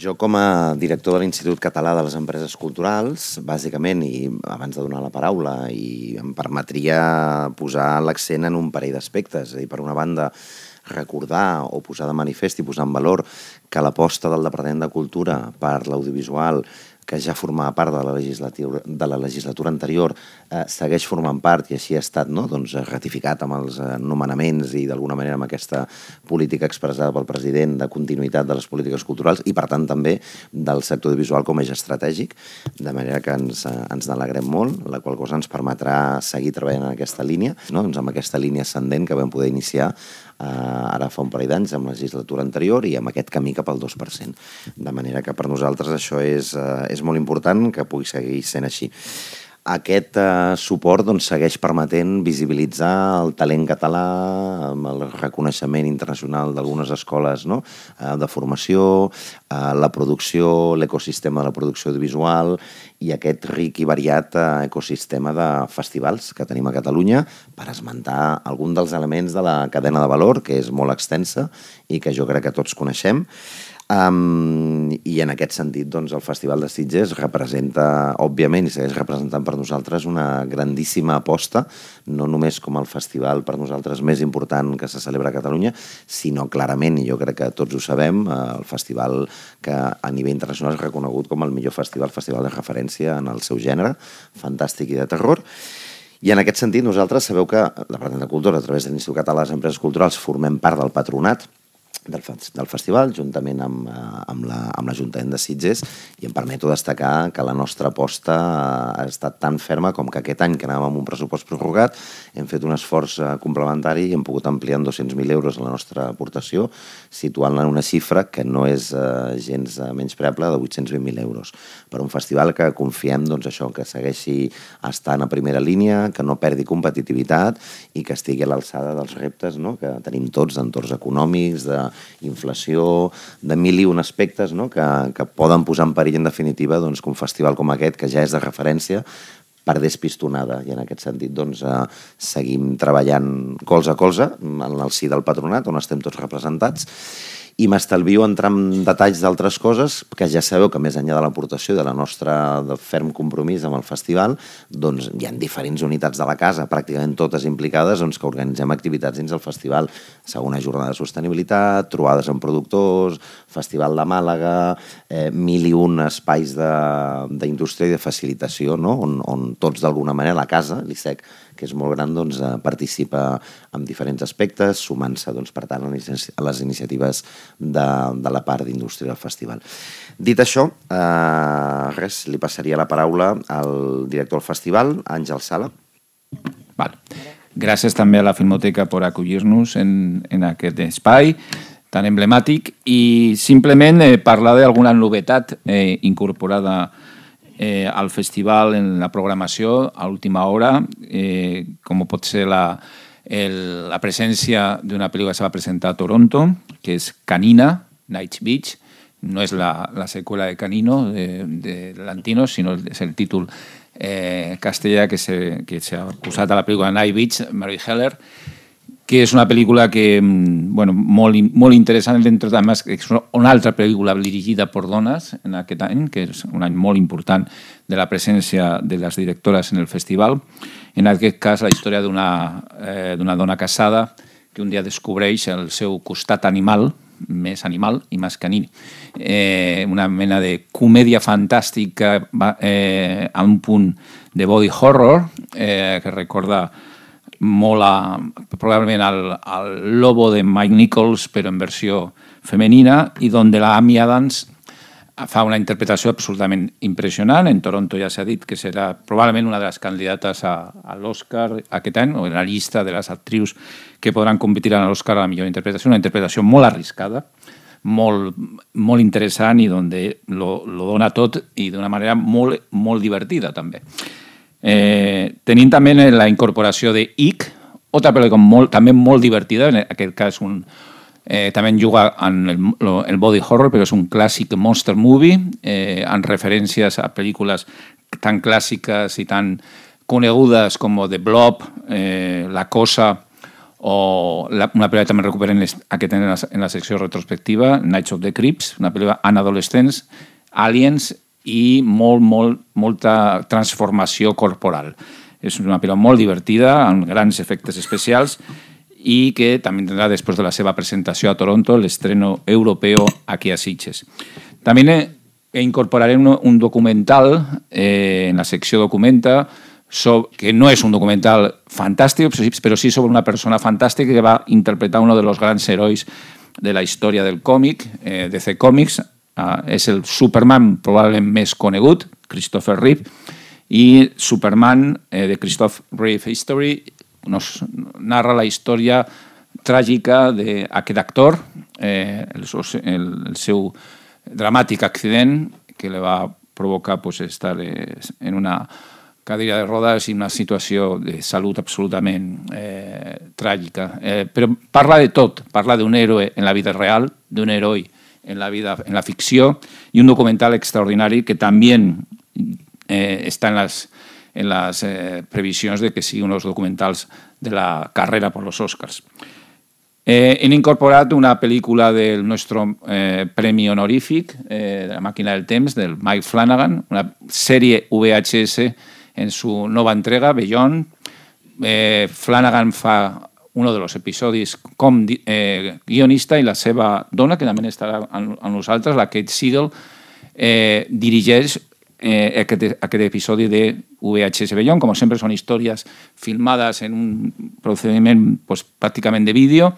Jo, com a director de l'Institut Català de les Empreses Culturals, bàsicament, i abans de donar la paraula, i em permetria posar l'accent en un parell d'aspectes. És a dir, per una banda, recordar o posar de manifest i posar en valor que l'aposta del Departament de Cultura per l'audiovisual, que ja formava part de la legislatura anterior, segueix formant part, i així ha estat ratificat amb els nomenaments i d'alguna manera amb aquesta política expressada pel president de continuïtat de les polítiques culturals i per tant també del sector audiovisual com a eix estratègic, de manera que ens n'alegrem molt, la qual cosa ens permetrà seguir treballant en aquesta línia, amb aquesta línia ascendent que vam poder iniciar ara fa un parell d'anys amb la legislatura anterior i amb aquest camí cap al 2%. De manera que per nosaltres això és molt important que pugui seguir sent així. Aquest suport segueix permetent visibilitzar el talent català amb el reconeixement internacional d'algunes escoles de formació, la producció, l'ecosistema de la producció audiovisual i aquest ric i variat ecosistema de festivals que tenim a Catalunya, per esmentar algun dels elements de la cadena de valor, que és molt extensa i que jo crec que tots coneixem. I en aquest sentit el Festival de Sitges representa, òbviament, i segueix representant per nosaltres una grandíssima aposta, no només com el festival per nosaltres més important que se celebra a Catalunya, sinó clarament, i jo crec que tots ho sabem, el festival que a nivell internacional és reconegut com el millor festival de referència en el seu gènere, fantàstic i de terror. I en aquest sentit nosaltres sabeu que la Departament de Cultura, a través de l'Institut Català de les Empreses Culturals, formem part del patronat del festival, juntament amb l'Ajuntament de Sitges, i em permeto destacar que la nostra aposta ha estat tan ferma com que aquest any, que anàvem amb un pressupost prorrogat, hem fet un esforç complementari i hem pogut ampliar en 200.000 euros la nostra aportació, situant-la en una xifra que no és gens menyspreable, de 820.000 euros. Per un festival que confiem això, que segueixi estant a primera línia, que no perdi competitivitat i que estigui a l'alçada dels reptes que tenim tots d'entorns econòmics, d'inflació, de mil i un aspectes que poden posar en perill, en definitiva, que un festival com aquest, que ja és de referència, perdés pistonada. I en aquest sentit seguim treballant colze a colze en el si del patronat, on estem tots representats, i m'estalvio entrar en detalls d'altres coses que ja sabeu que més enllà de l'aportació de la nostra ferm compromís amb el festival, hi ha diferents unitats de la casa, pràcticament totes implicades, que organitzem activitats dins del festival. Segona jornada de sostenibilitat, trobades amb productors, festival de Màlaga, 1.001 espais d'indústria i de facilitació, on tots d'alguna manera, la casa, l'ISEC, que és molt gran, participa en diferents aspectes, sumant-se, per tant, a les iniciatives de la part d'indústria del festival. Dit això, li passaria la paraula al director del festival, Àngel Sala. Vale. Gràcies també a la Filmoteca per acollir-nos en aquest espai tan emblemàtic i simplement parlar d'alguna novetat incorporada al festival en la programació a última hora, com pot ser la presència d'una pel·lícula que se va presentar a Toronto, que és Canina, Night Beach. No és la seqüela de Canino, de Lanthimos, sinó és el títol castellà que s'ha posat a la pel·lícula Night Beach, Mary Heller, que és una pel·lícula que, molt interessant, dentro de més, és una altra pel·lícula dirigida per dones en aquest any, que és un any molt important de la presència de les directores en el festival. En aquest cas, la història d'una dona casada que un dia descobreix el seu costat animal, més animal i més caní. Una mena de comèdia fantàstica a un punt de body horror que recorda molt probablement al Lobo de Mike Nichols, però en versió femenina, i on la Amy Adams fa una interpretació absolutament impressionant. En Toronto ja s'ha dit que serà probablement una de les candidates a l'Oscar aquest any, o en la llista de les actrius que podran competir a l'Oscar a la millor interpretació. Una interpretació molt arriscada, molt interessant i on lo dona tot i d'una manera molt divertida també. Tenim també la incorporació de Ick, altra pel·lícula també molt divertida, en aquest cas també juga en el body horror, però és un clàssic monster movie, amb referències a pel·lícules tan clàssiques i tan conegudes com The Blob, La Cosa o una pel·lícula que també recuperen aquest en la secció retrospectiva, Nights of the Creeps, una pel·lícula en adolescents, aliens i molta transformació corporal. És una pel·lícula molt divertida, amb grans efectes especials, i que també tindrà, després de la seva presentació a Toronto, l'estreno europeu aquí a Sitges. També incorporaré un documental en la secció Documenta, que no és un documental fantàstic, però sí sobre una persona fantàstica que va interpretar uno de los grans herois de la història del còmic, DC Comics. És el Superman probablement més conegut, Christopher Reeve, i Superman, de Christopher Reeve History, nos narra la història tràgica d'aquest actor, el seu dramàtic accident que li va provocar estar en una cadira de rodes i una situació de salut absolutament tràgica. Però parla de tot, parla d'un héroe en la vida real, d'un heroi en la ficció, i un documental extraordinari que també està en les previsions de que siguin uns documentals de la carrera per los Oscars. Hem incorporat una pel·lícula del nostre premi honorífic, de la màquina del temps, del Mike Flanagan, una sèrie VHS en su nova entrega, Beyond. Flanagan fa uno de los episodis com guionista i la seva dona, que també estarà amb nosaltres, la Kate Siegel, dirigeix aquest episodi de VHS Beyond. Com sempre, són històries filmades en un procediment pràcticament de vídeo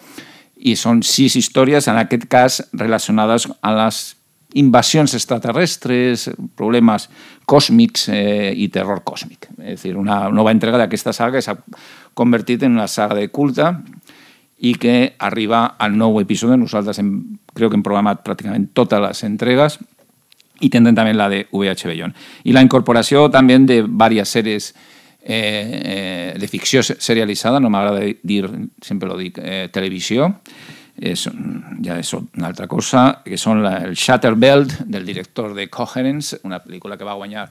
i són 6 històries, en aquest cas relacionades amb les invasions extraterrestres, problemes còsmics i terror còsmic. És a dir, una nova entrega d'aquesta saga que s'ha convertit en una saga de culte i que arriba al nou episodi. Nosaltres crec que hem programat pràcticament totes les entregues i tindrem també la de VH Beyond. I la incorporació també de diverses sèries de ficció serialitzada, no m'agrada dir, sempre lo dic, televisió, ja és una altra cosa, que són el Shatterbelt, del director de Coherence, una pel·lícula que va guanyar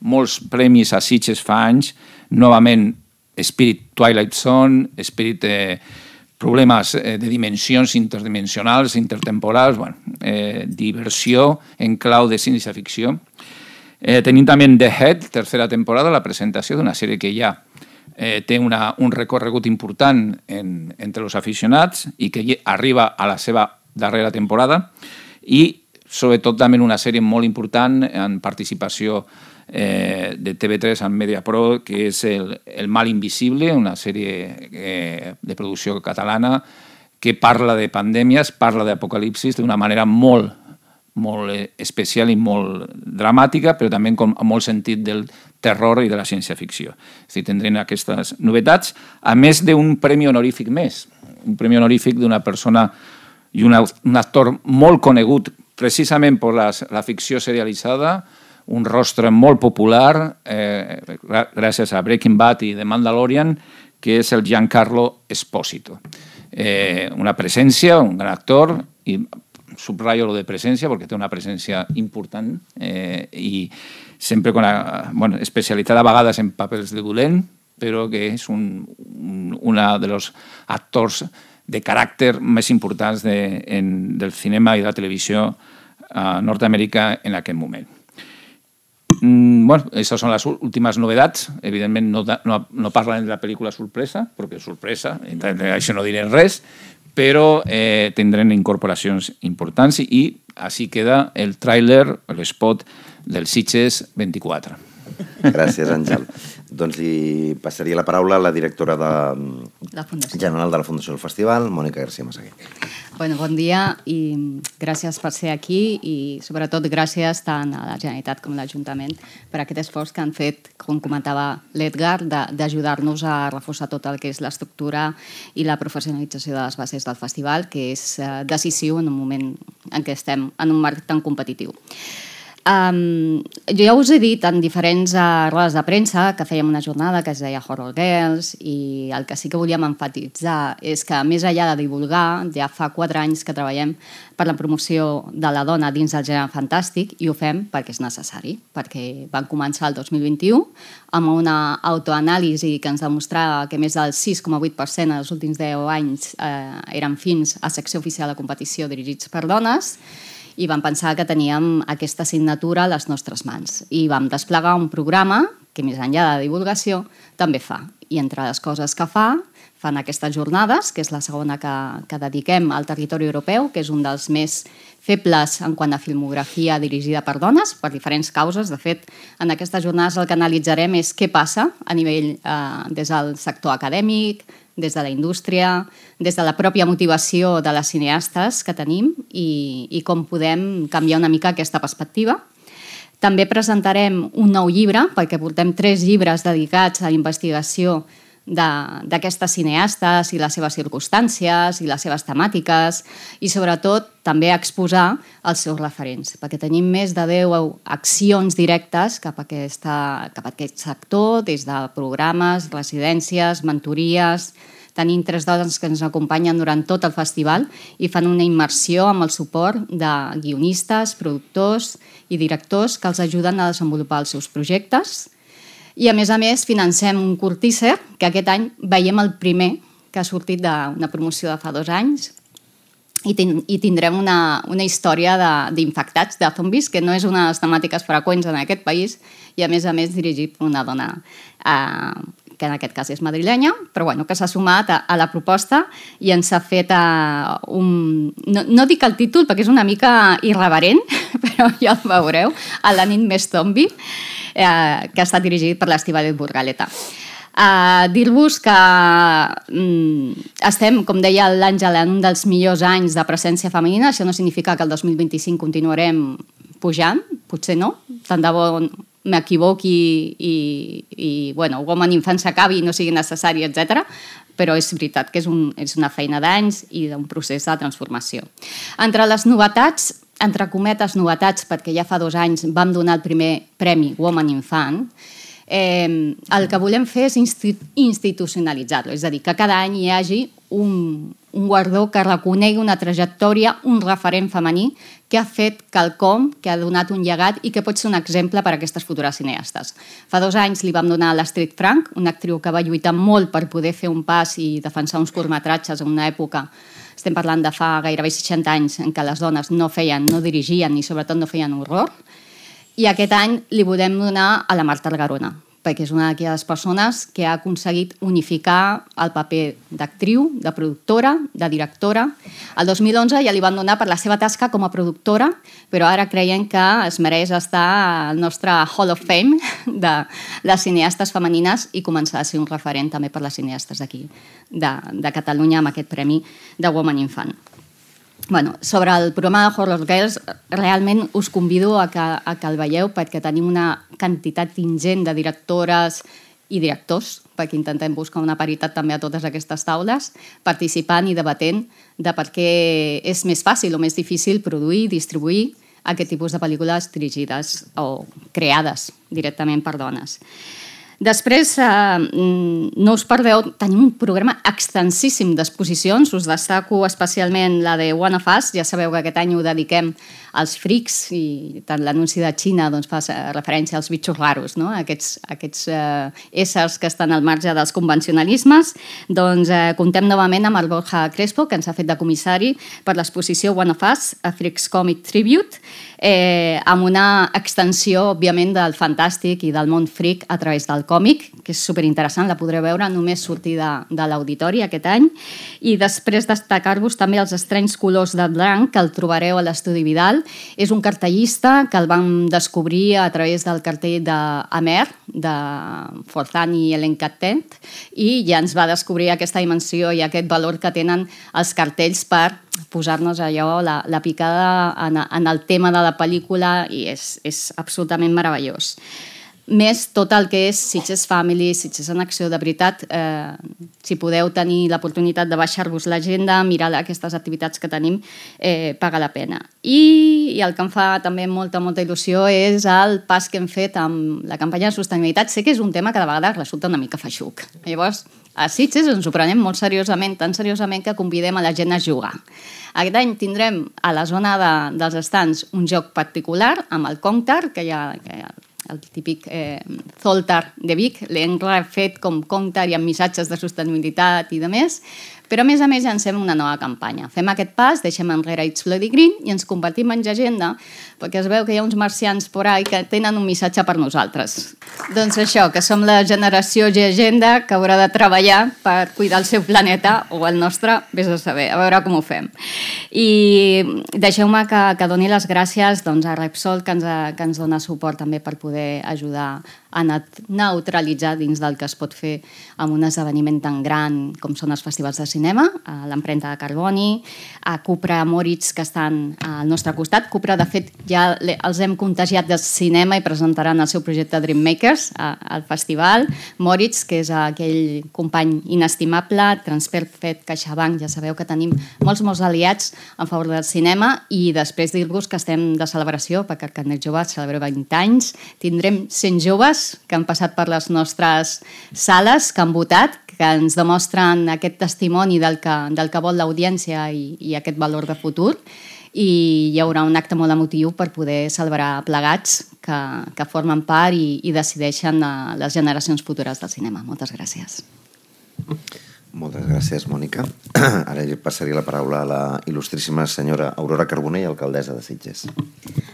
molts premis a Sitges fa anys, novament Spirit Twilight Zone, Spirit problemes de dimensions interdimensionals, intertemporals, diversió en clau de ciència-ficció. Tenim també The Head, tercera temporada, la presentació d'una sèrie que ja té un recorregut important entre els aficionats i que arriba a la seva darrera temporada, i sobretot també una sèrie molt important en participació de TV3 en Mediapro, que és El mal invisible, una sèrie de producció catalana que parla de pandèmies, parla d'apocalipsis d'una manera molt especial i molt dramàtica, però també amb molt sentit del terror i de la ciència-ficció. És a dir, tindrem aquestes novetats, a més d'un premi honorífic més, un premi honorífic d'una persona i un actor molt conegut precisament per la ficció serialitzada, un rostre molt popular gràcies a Breaking Bad i The Mandalorian, que és el Giancarlo Esposito. Una presència, un gran actor, i subratllo lo de presència perquè té una presència important i sempre especialitzada a vegades en papers de dolent, però que és un dels actors de caràcter més importants del cinema i de la televisió a Nord-Amèrica en aquest moment. Aquestes són les últimes novetats. Evidentment no parlen de la pel·lícula sorpresa, perquè és sorpresa, això no diré res, però tindrem incorporacions importants i així queda el tràiler, l'espot del Sitges 24. Gràcies, Àngel. Doncs li passaria la paraula a la directora general de la Fundació del Festival, Mònica García Massaguer. Bon dia i gràcies per ser aquí i sobretot gràcies tant a la Generalitat com a l'Ajuntament per aquest esforç que han fet, com comentava l'Edgar, d'ajudar-nos a reforçar tot el que és l'estructura i la professionalització de les bases del festival, que és decisiu en un moment en què estem en un marc tan competitiu. Jo ja us he dit en diferents rodes de premsa que fèiem una jornada que es deia Horror Girls, i el que sí que volíem enfatitzar és que, més enllà de divulgar, ja fa 4 anys que treballem per la promoció de la dona dins del gènere fantàstic, i ho fem perquè és necessari, perquè van començar el 2021 amb una autoanàlisi que ens demostrava que més del 6,8% en els últims 10 anys eren films a secció oficial de competició dirigits per dones, i vam pensar que teníem aquesta assignatura a les nostres mans. I vam desplegar un programa que, més enllà de divulgació, també fa. I entre les coses que fan aquestes jornades, que és la segona que dediquem al territori europeu, que és un dels més febles en quant a filmografia dirigida per dones, per diferents causes. De fet, en aquestes jornades el que analitzarem és què passa a nivell des del sector acadèmic, des de la indústria, des de la pròpia motivació de les cineastes que tenim i com podem canviar una mica aquesta perspectiva. També presentarem un nou llibre, perquè portem 3 llibres dedicats a la investigació d'aquestes cineastes i les seves circumstàncies i les seves temàtiques, i sobretot també exposar els seus referents, perquè tenim més de 10 accions directes cap a aquest sector, des de programes, residències, mentories. Tenim 3 dones que ens acompanyen durant tot el festival i fan una immersió amb el suport de guionistes, productors i directors que els ajuden a desenvolupar els seus projectes. I, a més, financem un curt teaser, que aquest any veiem el primer que ha sortit d'una promoció de fa 2 anys, i tindrem una història d'infectats, de zombis, que no és una de les temàtiques freqüents en aquest país, i, a més, dirigit per una dona que en aquest cas és madrilenya, però que s'ha sumat a la proposta i ens ha fet no dic el títol perquè és una mica irreverent, però ja el veureu, a La nit més zombi, que ha estat dirigit per l'Estíbaliz Burgaleta. Dir-vos que estem, com deia l'Àngela, en un dels millors anys de presència femenina. Això no significa que el 2025 continuarem pujant, potser no, tant de bo m'equivoqui i Women in Fan s'acabi i no sigui necessari, etc. Però és veritat que és una feina d'anys i d'un procés de transformació. Entre les novetats, entre cometes novetats, perquè ja fa 2 anys vam donar el primer premi Women in Fan, el que volem fer és institucionalitzar-lo, és a dir, que cada any hi hagi un guardó que reconegui una trajectòria, un referent femení que ha fet quelcom, que ha donat un llegat i que pot ser un exemple per a aquestes futures cineastes. Fa 2 anys li vam donar a l'Astrid Frank, una actriu que va lluitar molt per poder fer un pas i defensar uns curtmetratges en una època, estem parlant de fa gairebé 60 anys, en què les dones no dirigien ni sobretot no feien horror. I aquest any li volem donar a la Marta Algarona, perquè és una d'aquelles persones que ha aconseguit unificar el paper d'actriu, de productora, de directora. El 2011 ja li van donar per la seva tasca com a productora, però ara creiem que es mereix estar al nostre Hall of Fame de les cineastes femenines i començar a ser un referent també per les cineastes d'aquí, de Catalunya, amb aquest premi de Women in Fan. Sobre el programa de Horror Girls, realment us convido a que el veieu, perquè tenim una quantitat ingent de directores i directors, perquè intentem buscar una paritat també a totes aquestes taules, participant i debatent de per què és més fàcil o més difícil produir i distribuir aquest tipus de pel·lícules dirigides o creades directament per dones. Després, no us perdeu, tenim un programa extensíssim d'exposicions. Us destaco especialment la de One of Us. Ja sabeu que aquest any ho dediquem als frics, i tant l'anunci de Xina fa referència als bitxos raros, aquests éssers que estan al marge dels convencionalismes. Comptem novament amb el Borja Crespo, que ens ha fet de comissari per l'exposició One of Us, a Freaks Comic Tribute, amb una extensió, òbviament, del fantàstic i del món freak a través del còmic, que és superinteressant, la podreu veure només sortir de l'auditori aquest any. I després destacar-vos també els estranys colors de blanc, que el trobareu a l'Estudi Vidal. És un cartellista que el vam descobrir a través del cartell d'Amer, de Forzan i Helen Cattent, i ja ens va descobrir aquesta dimensió i aquest valor que tenen els cartells per posar-nos allò, la picada en el tema de la pel·lícula, i és absolutament meravellós. més tot el que és Sitges Family, Sitges en Acció, de veritat, si podeu tenir l'oportunitat de baixar-vos l'agenda, mirar aquestes activitats que tenim, paga la pena. I el que em fa també molta il·lusió és el pas que hem fet amb la campanya de sostenibilitat. Sé que és un tema que de vegades resulta una mica feixuc. Llavors, a Sitges ens ho prenem molt seriosament, tan seriosament que convidem a la gent a jugar. Aquest any tindrem a la zona dels estants un joc particular amb el Contar, que hi ha el típic Zoltar de Vic, l'hem refet com Contar i amb missatges de sostenibilitat i de més, però a més llancem una nova campanya. Fem aquest pas, deixem enrere It's Bloody Green i ens convertim en llegenda, perquè es veu que hi ha uns marcians por ahí que tenen un missatge per nosaltres. Doncs això, que som la generació llegenda que haurà de treballar per cuidar el seu planeta, o el nostre, vés a saber, a veure com ho fem. I deixeu-me que doni les gràcies a Repsol, que ens dona suport també per poder ajudar a neutralitzar dins del que es pot fer amb un esdeveniment tan gran com són els festivals de cinema, a l'empremta de carboni, a Cupra Moritz, que estan al nostre costat. Cupra, de fet, ja els hem contagiat de cinema i presentaran el seu projecte Dream Makers al festival. Moritz, que és aquell company inestimable, Transperfect, CaixaBank, ja sabeu que tenim molts aliats en favor del cinema, i després dir-vos que estem de celebració, perquè el Carnet Jove celebra 20 anys. Tindrem 100 joves que han passat per les nostres sales, que han votat, que ens demostren aquest testimoni del que vol l'audiència i aquest valor de futur. I hi haurà un acte molt emotiu per poder celebrar plegats que formen part i decideixen les generacions futures del cinema. Moltes gràcies. Moltes gràcies, Mònica. Ara passaria la paraula a la il·lustríssima senyora Aurora Carbonell, alcaldessa de Sitges.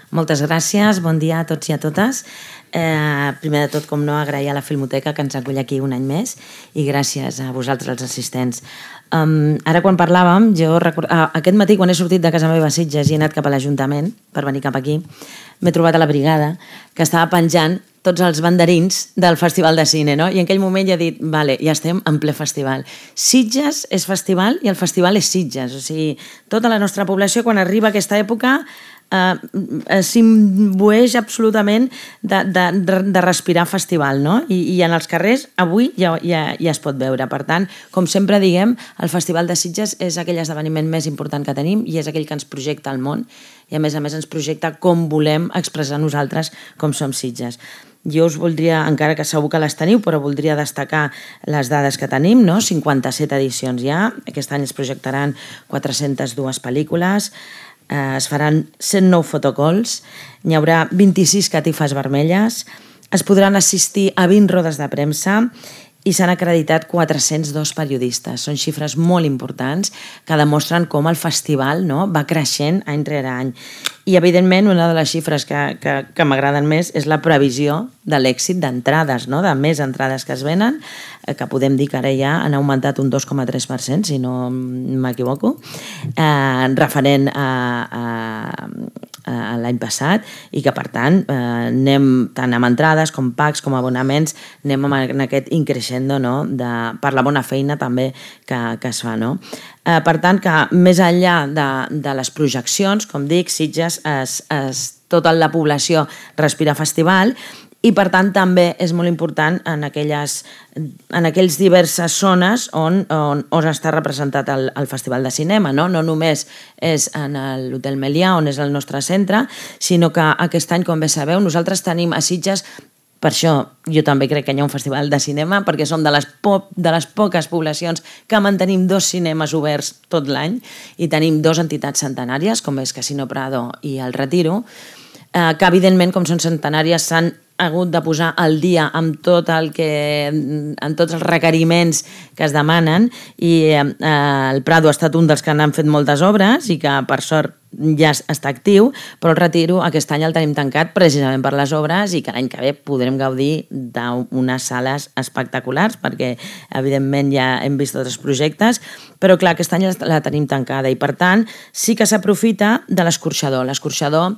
Moltes gràcies, bon dia a tots i a totes. Primer de tot, com no, agrair a la Filmoteca que ens acull aquí un any més, i gràcies a vosaltres, els assistents. Ara, quan parlàvem, aquest matí, quan he sortit de casa meva a Sitges i he anat cap a l'Ajuntament per venir cap aquí, m'he trobat a la brigada que estava penjant tots els banderins del Festival de Cine, no? I en aquell moment ja he dit, vale, ja estem en ple festival. Sitges és festival i el festival és Sitges. O sigui, tota la nostra població, quan arriba a aquesta època, s'imbueix absolutament de respirar festival, no? I en els carrers avui ja es pot veure. Per tant, com sempre diguem, el Festival de Sitges és aquell esdeveniment més important que tenim i és aquell que ens projecta al món, i a més ens projecta com volem expressar nosaltres com som Sitges. Jo us voldria, encara que segur que les teniu, però voldria destacar les dades que tenim, no? 57 edicions ja, aquest any es projectaran 402 pel·lícules, es faran 109 fotocalls, n'hi haurà 26 catifes vermelles, es podran assistir a 20 rodes de premsa i s'han acreditat 402 periodistes. Són xifres molt importants que demostren com el festival, no, va creixent any rere any. I, evidentment, una de les xifres que m'agraden més és la previsió de l'èxit d'entrades, no? De més entrades que es venen, que podem dir que ara ja han augmentat un 2,3%, si no m'equivoco, referent a l'any passat, i que, per tant, anem tant amb entrades com packs com abonaments, anem en aquest increixendo, no? Per la bona feina també que es fa, no? Per tant, que més enllà de les projeccions, com dic, Sitges, tota la població respira festival, i per tant també és molt important en aquelles diverses zones on està representat el Festival de Cinema, no? No només és en l'Hotel Melià, on és el nostre centre, sinó que aquest any, com bé sabeu, nosaltres tenim a Sitges. Per això jo també crec que hi ha un festival de cinema, perquè som de les poques poblacions que mantenim 2 cinemes oberts tot l'any i tenim 2 entitats centenàries, com és Casino Prado i el Retiro, que evidentment, com són centenàries, s'han hagut de posar al dia amb tots els requeriments que es demanen, i el Prado ha estat un dels que n'han fet moltes obres i que, per sort, ja està actiu, però el Retiro aquest any el tenim tancat precisament per les obres, i que l'any que ve podrem gaudir d'unes sales espectaculars, perquè evidentment ja hem vist tots els projectes, però clar, aquest any la tenim tancada, i per tant sí que s'aprofita de l'escorxador. L'escorxador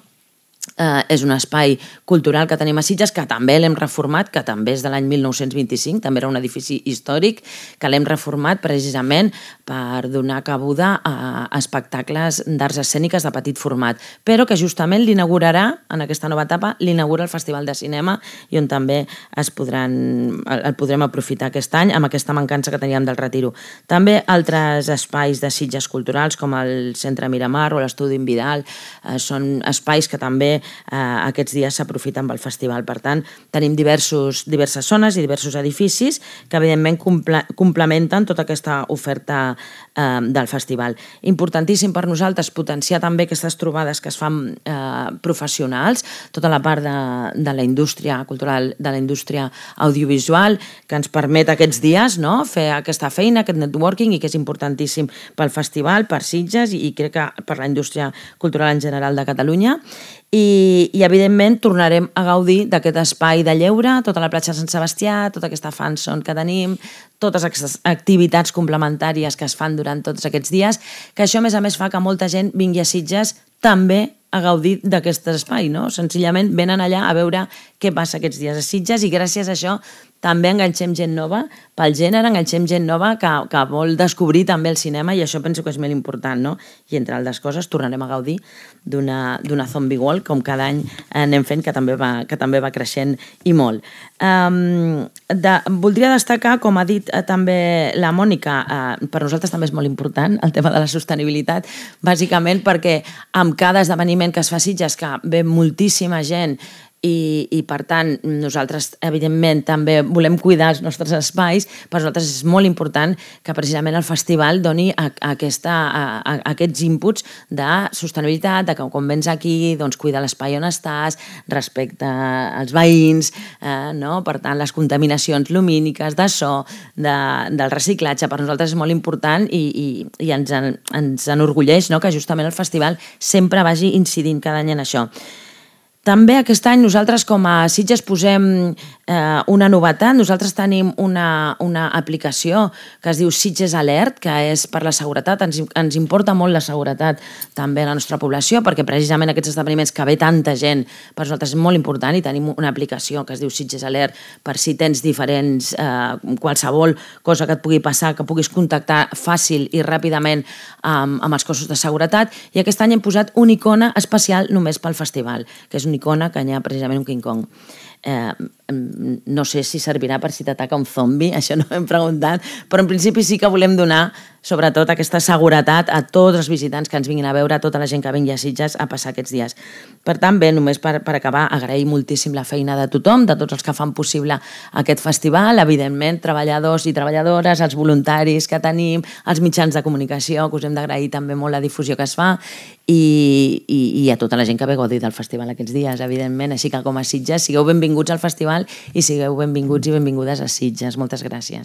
és un espai cultural que tenim a Sitges, que també l'hem reformat, que també és de l'any 1925, també era un edifici històric, que l'hem reformat precisament per donar cabuda a espectacles d'arts escèniques de petit format, però que justament l'inaugurarà, en aquesta nova etapa, l'inaugura el Festival de Cinema, i on també el podrem aprofitar aquest any amb aquesta mancança que teníem del Retiro. També altres espais de Sitges culturals, com el Centre Miramar o l'Estudi Vidal, són espais que també aquests dies s'aprofiten pel festival. Per tant, tenim diverses zones i diversos edificis que evidentment complementen tota aquesta oferta del festival. Importantíssim per nosaltres potenciar també aquestes trobades que es fan professionals, tota la part de la indústria cultural, de la indústria audiovisual, que ens permet aquests dies fer aquesta feina, aquest networking, i que és importantíssim pel festival, per Sitges i crec que per la indústria cultural en general de Catalunya. I evidentment tornarem a gaudir d'aquest espai de lleure, tota la platja de Sant Sebastià, tota aquesta fanzone que tenim, totes aquestes activitats complementàries que es fan durant tots aquests dies, que això a més fa que molta gent vingui a Sitges també a gaudir d'aquest espai, no? Senzillament venen allà a veure què passa aquests dies a Sitges, i gràcies a això també enganxem gent nova pel gènere, enganxem gent nova que vol descobrir també el cinema, i això penso que és molt important, no? I entre altres coses tornarem a gaudir d'una Zombie World, com cada any anem fent, que també va creixent i molt. Voldria destacar, com ha dit també la Mònica, per nosaltres també és molt important el tema de la sostenibilitat, bàsicament perquè amb cada esdeveniment que es fa a Sitges, que ve moltíssima gent, i per tant nosaltres evidentment també volem cuidar els nostres espais, per nosaltres és molt important que precisament el festival doni aquests inputs de sostenibilitat, de que quan vens aquí cuidar l'espai on estàs, respecte als veïns, per tant les contaminacions lumíniques, de so, del reciclatge, per nosaltres és molt important, i ens enorgulleix que justament el festival sempre vagi incidint cada any en això. També aquest any nosaltres com a Sitges posem una novetat. Nosaltres tenim una aplicació que es diu Sitges Alert, que és per la seguretat. Ens importa molt la seguretat també a la nostra població, perquè precisament aquests esdeveniments que ve tanta gent, per nosaltres és molt important, i tenim una aplicació que es diu Sitges Alert per si tens diferents, qualsevol cosa que et pugui passar, que puguis contactar fàcil i ràpidament amb els cossos de seguretat. I aquest any hem posat una icona especial només pel festival, que és una icona que hi ha precisament un King Kong. No sé si servirà per si t'ataca un zombi, això no ho hem preguntat, però en principi sí que volem donar sobretot aquesta seguretat a tots els visitants que ens vinguin a veure, a tota la gent que vingui a Sitges a passar aquests dies. Per tant, bé, només per acabar, agrair moltíssim la feina de tothom, de tots els que fan possible aquest festival, evidentment, treballadors i treballadores, els voluntaris que tenim, els mitjans de comunicació, que us hem d'agrair també molt la difusió que es fa, i a tota la gent que ve a gaudir del festival aquests dies, evidentment. Així que com a Sitges, sigueu benvinguts al festival i sigueu benvinguts i benvingudes a Sitges. Moltes gràcies.